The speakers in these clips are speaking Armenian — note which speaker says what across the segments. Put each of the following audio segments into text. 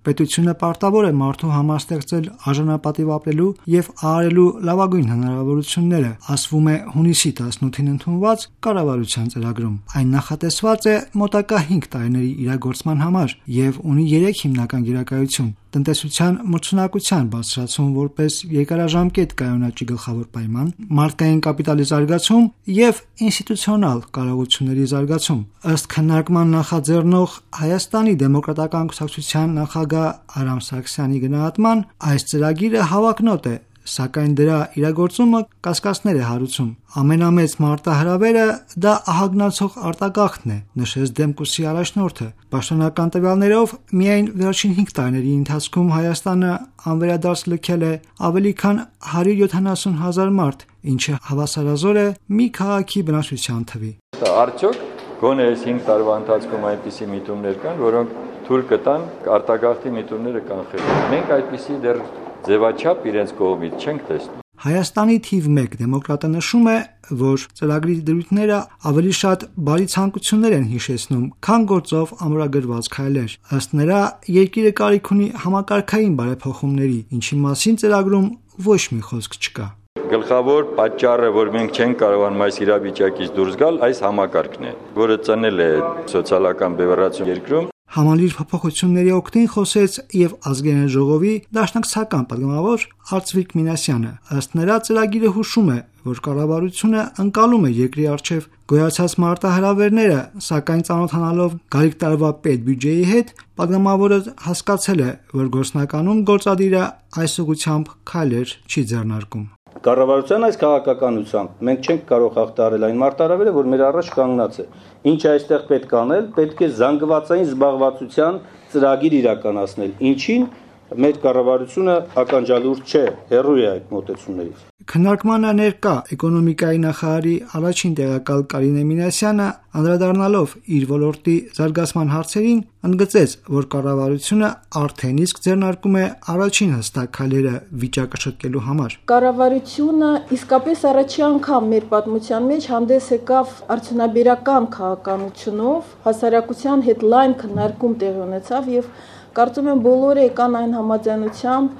Speaker 1: Պետությունը պարտավոր է մարդու համար ստեղծել արժանապատիվ ապրելու եւ ահարելու լավագույն հնարավորությունները, ասվում է հունիսի 18-ին ընդունված կառավարության ծրագրում։ Այն նախատեսված է մոտակա 5 տարիների իրագործման համար եւ ունի 3 հիմնական գերակայություն՝ տնտեսության մրցունակության բարձրացում որպես երկարաժամկետ կայունաճի գլխավոր պայման, մարդկային կապիտալի զարգացում եւ ինստիտուցիոնալ կարողությունների զարգացում։ Ըստ քննարկման նախաձեռնող Հայաստանի դեմոկրատական կուսակցության նախագահ Արամ Սարգսյանի գնահատման, այս ծրագիրը հավակնոտ է, սակայն դրա իրագործումը կասկածներ է հարուցում։ Ամենամեծ մարտահրավերը դա ահագնացող արտագաղթն է, նշեց Դեմկուսի առաջնորդը։ Պաշտոնական տվյալներով միայն վերջին 5 տարիների ընթացքում Հայաստանը անվերադարձ լքել է ավելի քան 170,000 մարդ, ինչը հավասարազոր է մի քաղաքի բնակչության թվի։
Speaker 2: Արդյոք գոնե այս 5 տարվա ընթացքում այնպիսի միտումներ կան, որոնք թույլ կտան արտագաղթի միտումները կանխել։ Մենք այդպիսի դեռ ձևաչափ իրենց կողմից չենք տեսնում։
Speaker 1: Հայաստանի թիվ 1 դեմոկրատը նշում է, որ ծրագրի դրույթները ավելի շատ բարի ցանկություններ են հիշեցնում, քան գործով ամրագրված քայլեր։ Ըստ նրա, երկիրը կարիք ունի համակարգային բարեփոխումների, ինչի մասին ծրագրում ոչ մի խոսք չկա։
Speaker 2: Գլխավոր պատճառը, որ մենք չենք կարողանում այս իրավիճակից դուրս գալ, այս համակարգն է, որը ծնել է սոցիալական բևեռացում երկրում։
Speaker 1: Համալիր փոփոխությունների օգտին խոսեց եւ ազգային ժողովի դաշնակցական պատգամավոր Արծվիկ Մինասյանը։ Ըստ նրա, ծրագիրը հուշում է, որ կառավարությունը ընկալում է երկրի առջև գոյացած մարտահրավերները, սակայն ծանոթանալով գալիք տարվա պետբյուջեի հետ, պատգամավորը հասկացել է, որ գործնականում գործադիրը այս ուղղությամբ քայլեր չի ձեռնարկում։
Speaker 3: Կառավարության այս քաղաքականությամբ մենք չենք կարող հաղթահարել այն մարտահրավերը, որ մեր առաջ կանգնած է։ Ինչ այստեղ պետք է անել, պետք է զանգվածային զբաղվածության ծրագիր իրականացնել, ինչին մեր կառավարությունը ականջալուր չէ, հեռու է այդ մոտեցումներից։
Speaker 1: Քննարկմանը ներկա էկոնոմիկայի նախարարի առաջին տեղակալ Կարինե Մինասյանը, անդրադառնալով իր ոլորտի զարգացման հարցերին, ընդգծեց, որ կառավարությունը արդեն իսկ ձեռնարկում է առաջին հստակ քայլերը վիճակը շտկելու համար։
Speaker 4: Կառավարությունը իսկապես առաջի անգամ մեր պատմության մեջ հանդես եկավ արդյունաբերական քաղաքականությունով, հասարակության հետ լայն քննարկում տեղի ունեցավ եւ կարծում եմ բոլորը եկան այն համաձայնությամբ,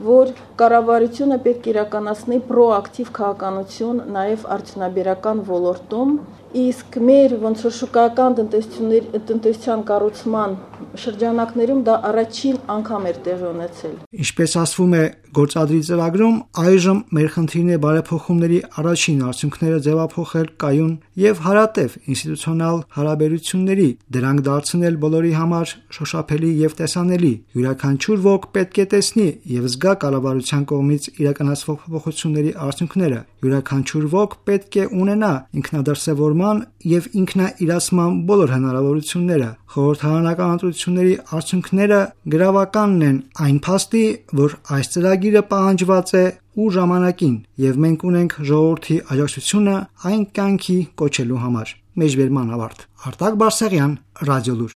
Speaker 4: որ կառավարությունը պետք է իրականացնի պրոակտիվ քաղաքականություն նաև արդյունաբերական ոլորտում, իսկ մեր ոնց որ շուկայական տնտեսության կառուցման շրջանակներում դա առաջին անգամ էր տեղի ունեցել։
Speaker 1: Ինչպես ասվում է գործադրի ծրագրում, այժմ մեր խնդիրն է բարեփոխումների առաջին արդյունքները ձևափոխել կայուն եւ հարատև ինստիտուցիոնալ հարաբերությունների, դրանք դարձնել բոլորի համար շոշափելի եւ տեսանելի։ Յուրաքանչյուր ոք պետք է տեսնի եւ զգա կառավարության կողմից իրականացվող փոփոխությունների արդյունքները։ Յուրաքանչյուր ոք պետք է ունենա ինքնադրսևորման եւ ինքնաիրացման բոլոր հնարավորությունները։ Խորհրդարանական ընտրությունների արդյունքները գրավականն են այն փաստի, որ այս ծրագիրը պահանջված է ու ժամանակին, եւ մենք ունենք ժողովրդի աջակցությունը այն կյանքի կոչելու համար։ Մեջբերման ավարտ։ Արտակ Բարսեղյան, Ռադիոլուր։